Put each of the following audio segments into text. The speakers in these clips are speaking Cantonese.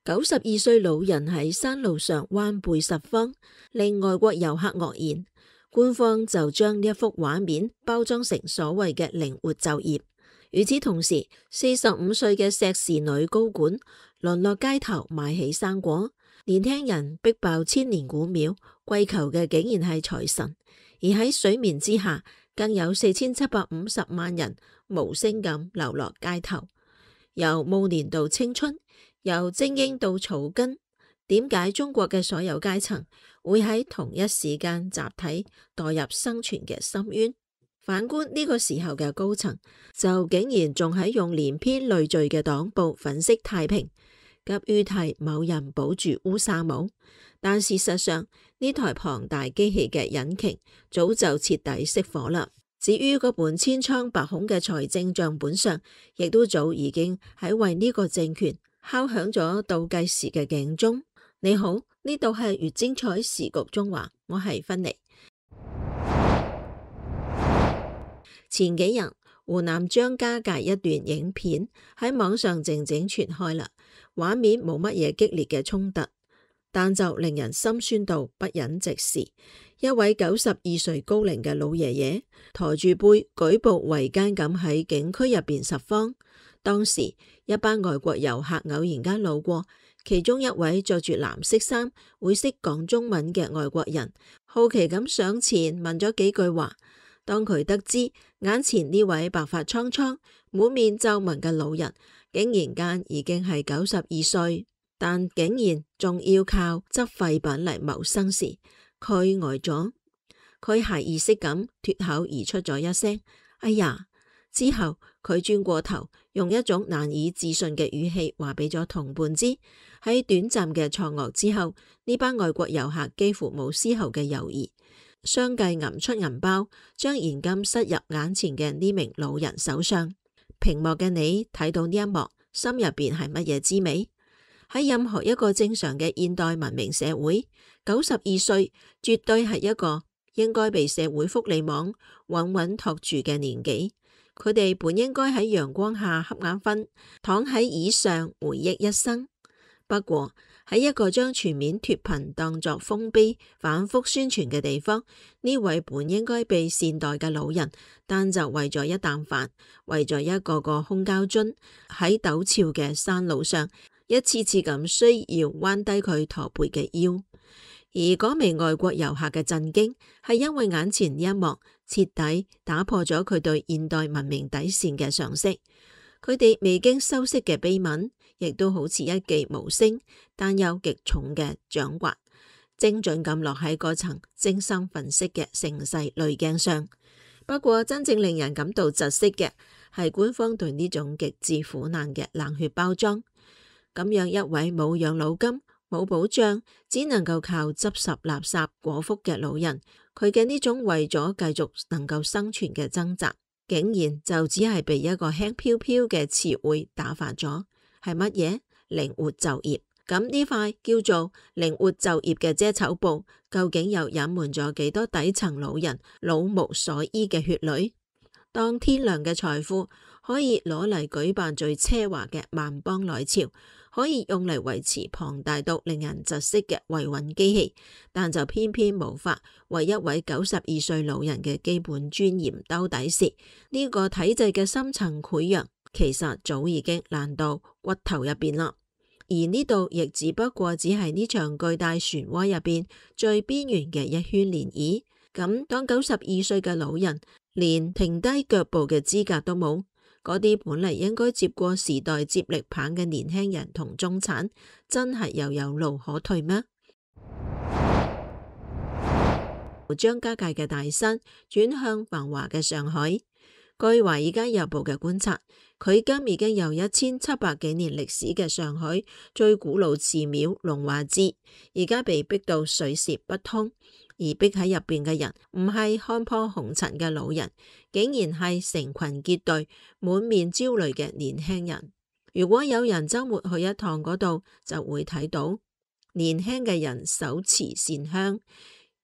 92歲老人喺山路上彎背拾荒，令外國遊客愕然。官方就將呢一幅畫面包裝成所謂嘅靈活就業。與此同時，45歲嘅碩士女高管淪落街頭賣起生果，年輕人逼爆千年古廟，跪求嘅竟然係財神。而喺水面之下，更有4750萬人無聲咁流落街頭。由暮年到青春，由精英到草根，點解中國嘅所有階層會喺同一時間集體墮入生存嘅深淵？反觀呢個時候嘅高層，就竟然仲喺用連篇累贅嘅黨報粉飾太平，急於替某人保住烏紗帽。但事實上，呢台龐大機器嘅引擎早就徹底熄火啦。至於嗰本千瘡百孔嘅財政賬本上，亦都早已經喺為呢個政權敲響咗倒計時嘅警鐘。你好，呢度係越精彩時局中華，我係芬妮。前幾日，湖南張家界一段影片喺網上靜靜傳開啦，畫面冇乜嘢激烈嘅衝突，但就令人心酸到不忍直視。一位92歲高齡嘅老爺爺駝住背舉步維艱咁喺景區入邊拾荒。當時一班外國遊客偶然間路過，其中一位着住藍色衫會識講中文嘅外國人好奇咁上前問咗幾句話。當佢得知眼前呢位白髮蒼蒼滿面皺紋嘅老人竟然間已經係92歲，但竟然仲要靠執廢品嚟謀生時，佢呆咗。佢下意識咁脫口而出咗一聲哎呀。之後佢轉過頭，用一種難以置信嘅語氣話俾咗同伴知。喺短暫嘅錯愕之後，呢班外國遊客幾乎冇絲毫嘅猶豫，相繼揞出銀包，將現金塞入眼前嘅呢名老人手上。屏幕嘅你睇到呢一幕，心入邊係乜嘢滋味？喺任何一個正常嘅現代文明社會，92歲絕對係一個應該被社會福利網穩穩托住嘅年紀。佢哋本應該喺陽光下瞌眼瞓，躺喺椅上回憶一生。不過喺一個將全面脫貧當作豐碑反覆宣傳嘅地方，呢位本應該被善待嘅老人，但就為咗一啖飯，為咗一個個空膠樽，喺陡峭嘅山路上一次次咁需要彎低佢駝背嘅腰。而嗰名外國遊客嘅震驚，係因為眼前呢一幕徹底打破咗佢對現代文明底線嘅常識。佢哋未經修飾嘅悲憫，亦都好似一記無聲但又極重嘅掌摑，精準咁落喺嗰層精心粉飾嘅盛世濾鏡上。不過真正令人感到窒息嘅，係官方對呢種極致苦難嘅冷血包裝。咁樣一位冇養老金、冇保障，只能夠靠執拾垃圾果腹嘅老人，佢嘅呢種為咗繼續能夠生存嘅掙扎，竟然就只係被一個輕飄飄嘅詞彙打發咗。係乜嘢？靈活就業。咁呢塊叫做靈活就業嘅遮醜布，究竟又隱瞞咗幾多底層老人老無所依嘅血淚？當天良嘅財富可以攞嚟舉辦最奢華嘅萬邦來朝，可以用嚟維持龐大到令人窒息嘅維穩機器，但就偏偏無法為一位92歲老人嘅基本尊嚴兜底時，呢個體制嘅深層潰瘍其實早已經爛到骨頭入邊啦。而呢度亦只不過只係呢場巨大漩渦入邊最邊緣嘅一圈漣漪。咁當92歲嘅老人連停低腳步嘅資格都冇，嗰啲本嚟應該接過時代接力棒嘅年輕人同中產，真係又有路可退咩？張家界嘅大山轉向繁華嘅上海。據華爾街日報嘅觀察，距今已經有1700幾年歷史嘅上海最古老寺廟龍華寺，而家被逼到水泄不通，而逼喺入邊嘅人唔係看破紅塵嘅老人，竟然係成群結隊、滿面焦慮嘅年輕人。如果有人周末去一趟嗰度，就會睇到年輕嘅人手持線香，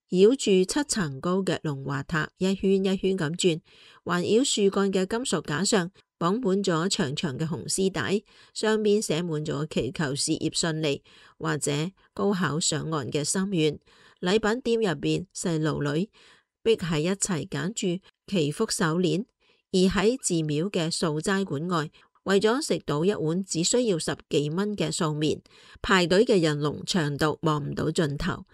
繞住7層高嘅龍華塔一圈一圈咁轉，環繞樹幹嘅金屬架上綁滿咗長長嘅紅絲帶，上面寫滿咗祈求事業順利或者高考上岸嘅心願。禮品店入邊，細路女逼喺一齊揀住祈福手鏈，而喺寺廟嘅素齋館外，為咗食到一碗只需要10幾蚊嘅素麵，排隊嘅人龍長到望唔到盡頭。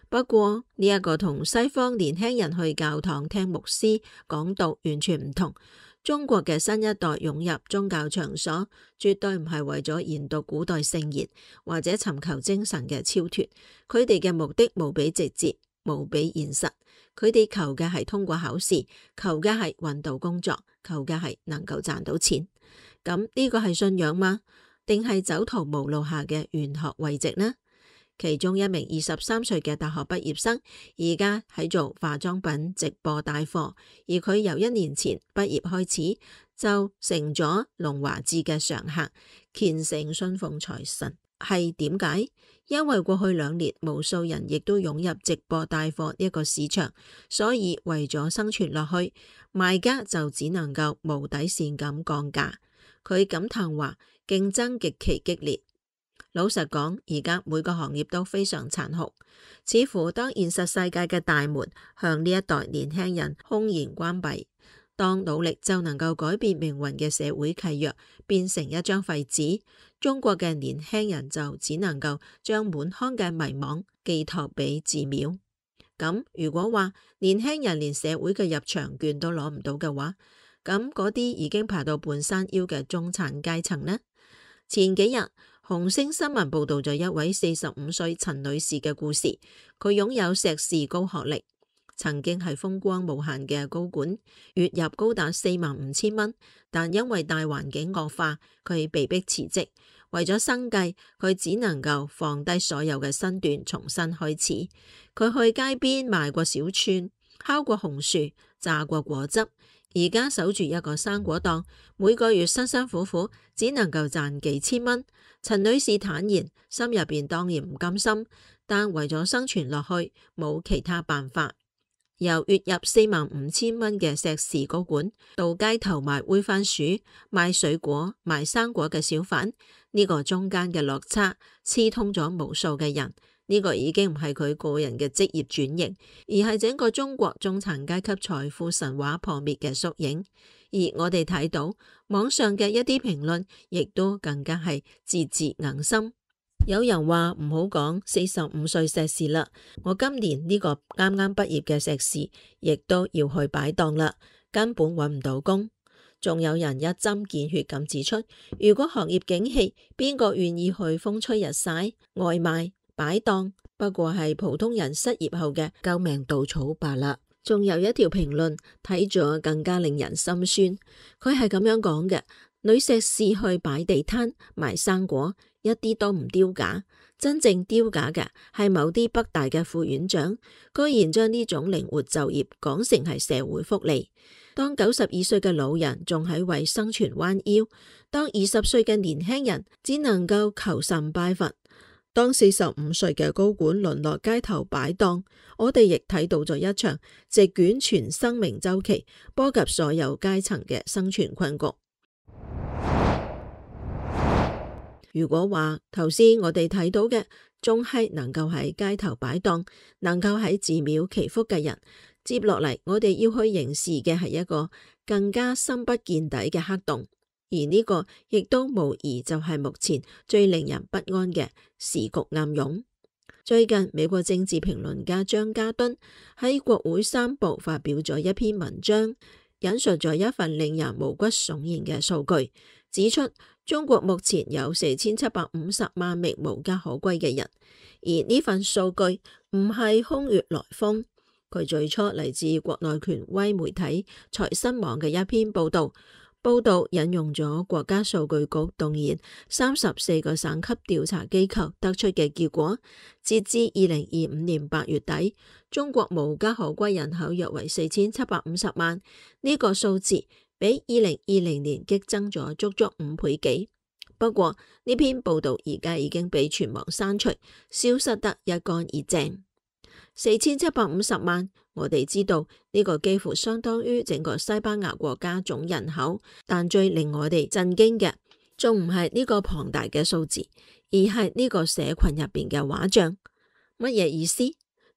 不過呢一個同西方年輕人去教堂聽牧師講道完全唔同。中國嘅新一代湧入宗教場所，絕對唔係為咗研讀古代聖言或者尋求精神嘅超脫，佢哋嘅目的無比直接，無比現實。佢哋求嘅係通過考試，求嘅係搵到工作，求嘅係能夠賺到錢。咁呢個係信仰嗎？定係走投無路下嘅玄學慰藉呢？其中一名23歲嘅大學畢業生，而家喺做化妝品直播帶貨，而佢由1年前畢業開始就成咗龍華寺嘅常客，虔誠信奉財神。係點解？因為過去2年無數人亦都湧入直播帶貨一個市場，所以為咗生存落去，賣家就只能夠無底線咁降價。佢感嘆話，競爭極其激烈。老實講，而家每個行業都非常殘酷，似乎當現實世界嘅大門向呢一代年輕人轟然關閉，當努力就能夠改變命運嘅社會契約變成一張廢紙，中國嘅年輕人就只能夠將滿腔嘅迷惘寄託俾寺廟。咁如果話年輕人連社會嘅入場券都攞唔到嘅話，咁嗰啲已經爬到半山腰嘅中產階層呢？前幾日，紅星新聞報道咗一位45歲陳女士嘅故事。佢擁有碩士高學歷，曾經係風光無限嘅高管，月入高達45,000蚊。但因為大環境惡化，佢被迫辭職。為咗生計，佢只能夠放低所有嘅身段，重新開始。佢去街邊賣過小串，烤過紅薯，榨過果汁。而家守住一個生果檔，每個月辛辛苦苦只能夠賺幾千蚊。陳女士坦言，心入邊當然唔甘心，但為咗生存落去，冇其他辦法。由月入45,000蚊嘅碩士高管，到街頭賣煨番薯、賣水果、賣生果嘅小販，呢個中間嘅落差刺痛咗無數嘅人。呢個已經唔係佢個人嘅職業轉型，而係整個中國中產階級財富神話破滅嘅縮影。而我哋睇到網上嘅一啲評論，亦都更加係字字硬心。有人話唔好講45歲碩士啦，我今年呢個啱啱畢業嘅碩士，亦都要去擺檔啦，根本搵唔到工。仲有人一針見血咁指出，如果行業景氣，邊個願意去風吹日曬？外賣擺檔不過係普通人失業後嘅救命稻草罷啦。仲有一條評論睇咗更加令人心酸，佢係咁樣講嘅：女碩士去擺地攤賣生果，一啲都唔丟架，真正丟架嘅係某啲北大嘅副院長，居然將呢種靈活就業講成係社會福利。當92歲嘅老人仲喺為生存彎腰，當20歲嘅年輕人只能夠求神拜佛，當45歲嘅高管淪落街頭擺檔，我哋亦睇到咗一場席捲全生命週期、波及所有階層嘅生存困局。如果話頭先我哋睇到嘅仲係能夠喺街頭擺檔、能夠喺寺廟祈福嘅人，接落嚟我哋要去凝視嘅係一個更加深不見底嘅黑洞。而呢個亦都無疑就係目前最令人不安嘅時局暗湧。最近美國政治評論家張家敦喺國會山報發表咗一篇文章，引述咗一份令人毛骨悚然嘅數據，指出中國目前有4750萬名無家可歸嘅人。而呢份數據唔係空穴來風，佢最初嚟自國內權威媒體財新網嘅一篇報道。報道引用咗國家數據局動員34個省級調查機構得出嘅結果，截至2025年8月底，中國無家可歸人口約為4750萬，呢個數字比2020年激增咗足足5倍幾。不過呢篇報道而家已經被全網刪除，消失得一乾二淨。4750萬我哋知道呢個幾乎相當於整個西班牙國家總人口，但最令我哋震驚嘅，仲唔係呢個龐大嘅數字，而係呢個社群入邊嘅畫像。乜嘢意思？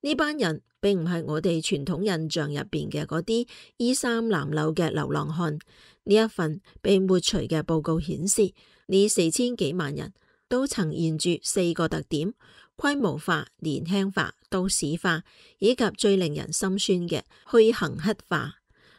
呢班人並唔係我哋傳統印象入邊嘅嗰啲衣衫襤褸嘅流浪漢。呢一份被抹除嘅報告顯示，呢4000幾萬人都呈現住4個特點：規模化、年輕化、都市化，以及最令人心酸嘅虛行乞化。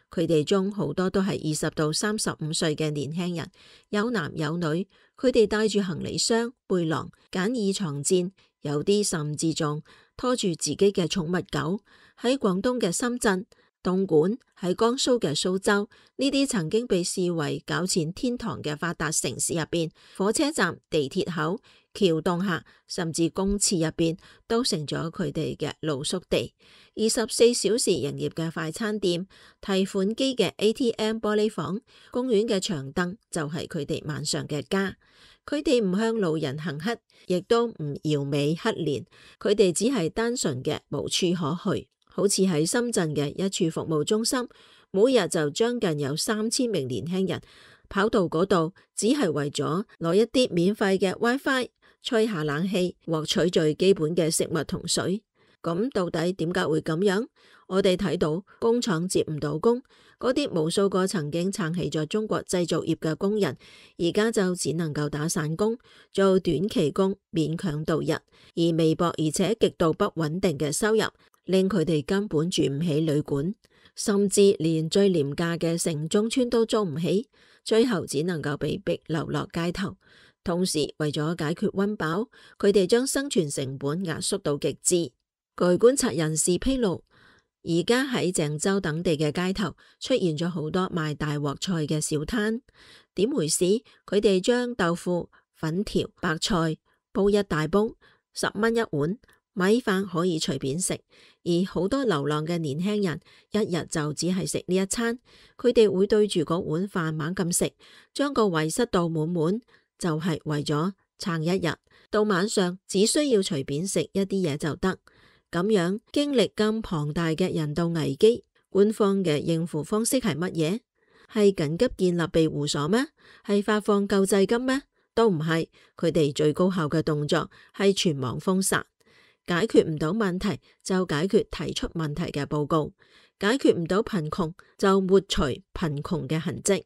佢哋中好多都係20到35歲嘅年輕人，有男有女。佢哋帶住行李箱、背囊、簡易床墊，有啲甚至仲拖住自己嘅寵物狗。喺廣東嘅深圳、東莞，喺江蘇嘅蘇州，呢啲曾經被視為搞錢天堂嘅發達城市入邊，火車站、地鐵口、橋洞下，甚至公廁入邊，都成咗佢哋嘅露宿地。24小時營業嘅快餐店、提款機嘅 ATM 玻璃房、公園嘅長凳，就係佢哋晚上嘅家。佢哋唔向路人行乞，亦都唔搖尾乞憐，佢哋只係單純嘅無處可去。好似喺深圳嘅一處服務中心，每日就將近有3000名年輕人跑到嗰度，只係為咗攞一啲免費嘅 WiFi、吹下冷氣、獲取最基本嘅食物同水。咁到底點解會咁樣？我哋睇到工廠接唔到工，嗰啲無數個曾經撐起咗中國製造業嘅工人，而家就只能夠打散工，做短期工，勉強度日。而微薄而且極度不穩定嘅收入，令佢哋根本住唔起旅館，甚至連最廉價嘅城中村都租唔起，最後只能夠被逼流落街頭。同時為咗解決溫飽，佢哋將生存成本壓縮到極致。據觀察人士披露，而家喺鄭州等地嘅街頭出現咗好多賣大鑊菜嘅小攤。點回事？佢哋將豆腐、粉條、白菜煲一大煲，10蚊一碗，米飯可以隨便食。而好多流浪嘅年輕人一日就只係食呢一餐，佢哋會對住嗰碗飯猛咁食，將個胃塞到滿滿，就係為咗撐一日。到晚上只需要隨便食一啲嘢就得。咁樣經歷咁龐大嘅人道危機，官方嘅應付方式係乜嘢？係緊急建立庇護所咩？係發放救濟金咩？都唔係。佢哋最高效嘅動作係全網封殺。解決唔到問題就解決提出問題嘅報告，解決唔到貧窮就抹除貧窮嘅痕跡。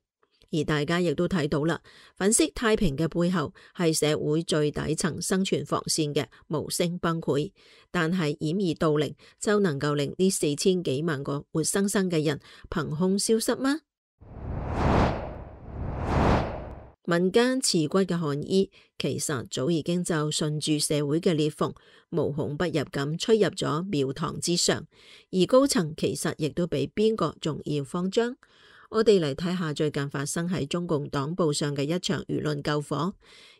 而大家亦都睇到啦，粉飾太平嘅背後係社會最底層生存防線嘅無聲崩潰。但係掩耳盜鈴就能夠令呢4000幾萬個活生生嘅人憑空消失嗎？民間刺骨嘅寒意其實早已經就順住社會嘅裂縫無孔不入咁吹入咗廟堂之上，而高層其實亦都比邊個仲要慌張。我哋嚟睇下最近發生喺中共黨報上嘅一場輿論救火。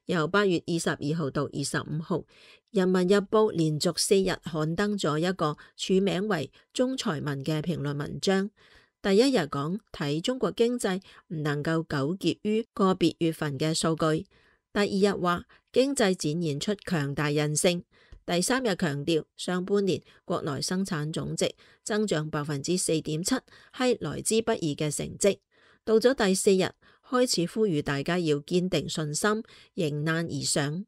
由8月22號到25號，人民日報連續4日刊登咗一個署名為中財民嘅評論文章。第一日講睇中國經濟唔能夠糾結於個別月份嘅數據，第二日話經濟展現出強大韌性，第三日強調上半年國內生產總值增長4.7%係來之不易嘅成績。到咗第4日開始呼籲大家要堅定信心，迎難而上。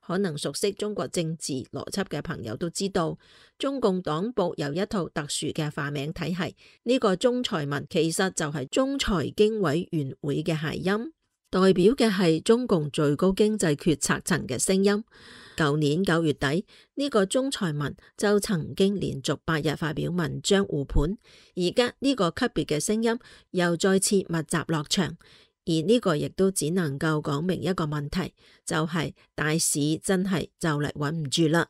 可能熟悉中國政治邏輯嘅朋友都知道，中共黨報有一套特殊嘅化名體系，呢個中財民其實就係中財經委員會嘅諧音，代表嘅係中共最高經濟決策層嘅聲音。舊年9月底，呢個中財民就曾經連續8日發表文章護盤，而家呢個級別嘅聲音又再次密集落場。而呢個亦都只能夠講明一個問題，就係大市真係就嚟穩唔住啦。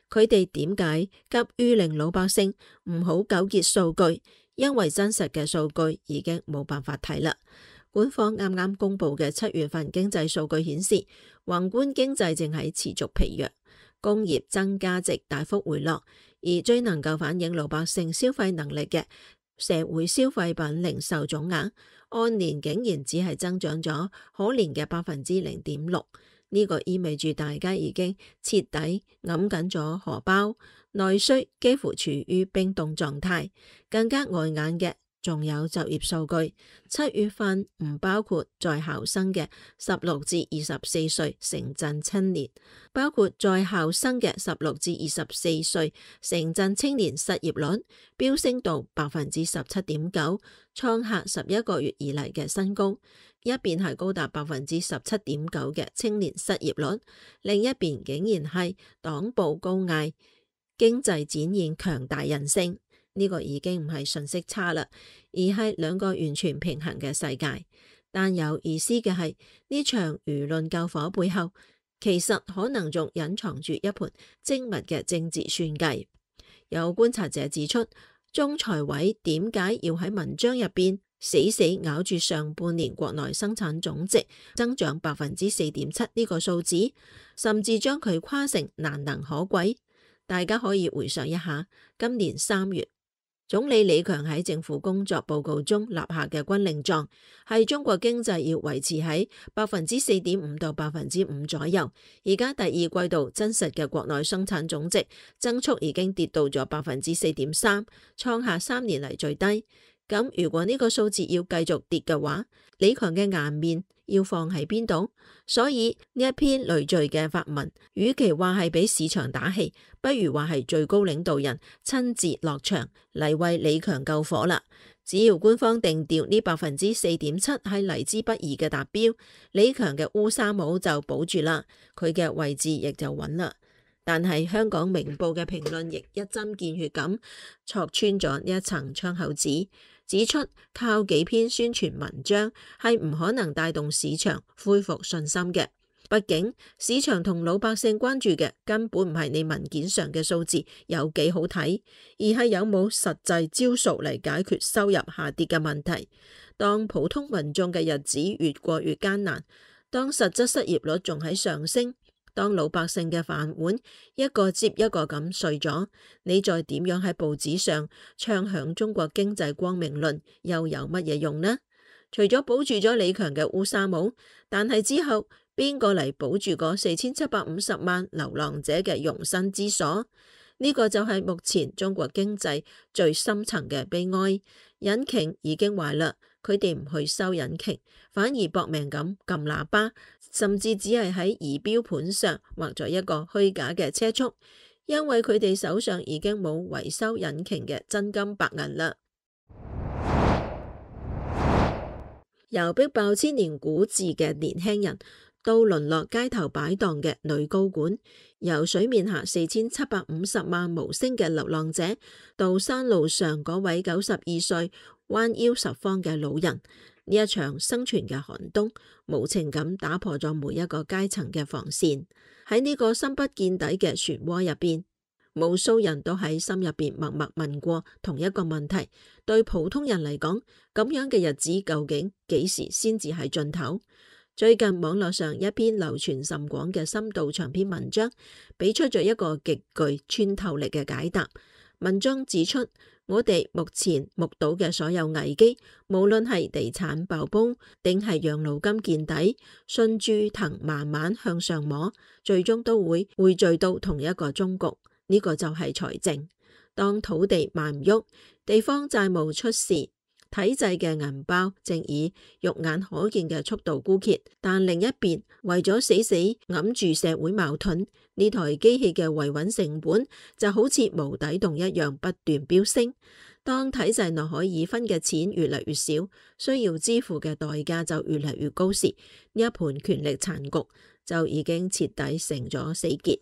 佢哋點解急於令老百姓唔好糾結數據？因為真實嘅數據已經冇辦法睇啦。官方啱啱公布嘅7月份經濟數據顯示，宏觀經濟正喺持續疲弱，工業增加值大幅回落，而最能夠反映老百姓消費能力嘅社會消費品零售總額按年竟然只係增長咗可憐嘅0.6%。呢個意味住大家已經徹底揞緊咗荷包，內需幾乎處於冰凍狀態。更加礙眼嘅仲有就業數據，7月份唔包括在校生嘅16至24歲城鎮青年，包括在校生嘅16至24歲城鎮青年失業率飆升到17.9%，創下11個月以嚟嘅新高。一邊係高達17.9%嘅青年失業率，另一邊竟然係黨報高嗌經濟展現強大韌性。呢個已經唔係信息差啦，而係兩個完全平衡嘅世界。但有意思嘅係，呢場輿論救火背後，其實可能仲隱藏住一盤精密嘅政治算計。有觀察者指出，中財委點解要喺文章入邊死死咬住上半年國內生產總值增長4.7%呢個數字，甚至將佢誇成難能可貴？大家可以回想一下，今年3月，總理李強喺政府工作報告中立下嘅軍令狀，係中國經濟要維持喺4.5%到5%左右。而家第二季度真實嘅國內生產總值增速已經跌到咗4.3%，創下3年嚟最低。咁如果呢個數字要繼續跌嘅話，李強嘅顏面要放喺邊度？所以呢一篇累贅嘅發文，與其話係俾市場打氣，不如話係最高領導人親自落場嚟為李強救火啦。只要官方定調呢4.7%係嚟之不易嘅達標，李強嘅烏紗帽就保住啦，佢嘅位置亦就穩啦。但係香港明報嘅評論亦一針見血咁戳穿咗呢一層窗口紙，指出靠幾篇宣傳文章係唔可能帶動市場恢復信心嘅。畢竟市場同老百姓關注嘅根本唔係你文件上嘅數字有幾好睇，而係有冇實際招數嚟解決收入下跌嘅問題。當普通民眾嘅日子越過越艱難，當實質失業率仲喺上升，當老百姓嘅飯碗一個接一個咁碎咗，你再點樣喺報紙上唱響中國經濟光明論，又有乜嘢用呢？除咗保住咗李強嘅烏紗帽，但係之後邊個嚟保住嗰4750萬流浪者嘅容身之所？呢個就係目前中國經濟最深層嘅悲哀。引擎已經壞啦，佢哋唔去修引擎，反而搏命咁撳喇叭，甚至只係喺儀表盤上畫咗一個虛假嘅車速，因為佢哋手上已經冇維修引擎嘅真金白銀啦。由逼爆千年古字嘅年輕人，到淪落街頭擺檔嘅女高管，由水面下4750萬無聲嘅流浪者，到山路上嗰位92歲彎腰拾荒嘅老人，呢一場生存嘅寒冬，無情咁打破咗每一個階層嘅防線。喺呢個深不見底嘅漩渦入邊，無數人都喺心入邊默默問過同一個問題：對普通人嚟講，咁樣嘅日子究竟幾時先至係盡頭？最近網絡上一篇流傳甚廣嘅深度長篇文章，俾出咗一個極具穿透力嘅解答。文章指出，我哋目前目睹嘅所有危機，無論係地產爆煲，定係養老金見底，順住藤慢慢向上摸，最終都會匯聚到同一個終局。呢個就係財政。當土地賣唔喐，地方債務出事，體制嘅銀包正以肉眼可見嘅速度枯竭，但另一邊為咗死死揞住社會矛盾，呢台機器嘅維穩成本就好似無底洞一樣不斷飆升。當體制內可以分嘅錢越嚟越少，需要支付嘅代價就越嚟越高時，呢一盤權力殘局就已經徹底成咗死結。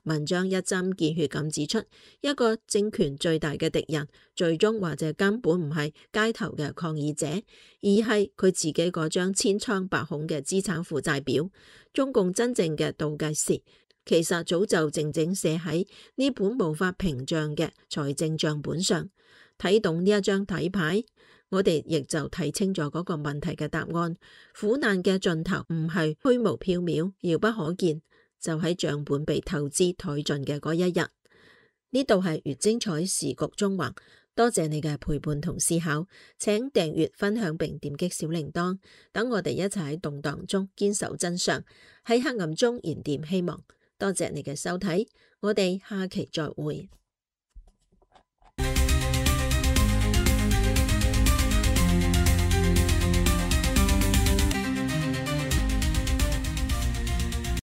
文章一針見血咁指出，一個政權最大嘅敵人，最終或者根本唔係街頭嘅抗議者，而係佢自己嗰張千瘡百孔嘅資產負債表。中共真正嘅倒計時，其實早就靜靜寫喺呢本無法屏障嘅財政賬本上。睇懂呢一張底牌，我哋亦就睇清咗嗰個問題嘅答案。苦難嘅盡頭唔係虛無縹緲、遙不可見，就喺賬本被透支殆盡嘅嗰一日。呢度係越精彩時局縱橫，多謝你嘅陪伴同思考，請訂閱、分享並點擊小鈴鐺，等我哋一齊喺動盪中堅守真相，喺黑暗中燃點希望。多謝你嘅收睇，我哋下期再會。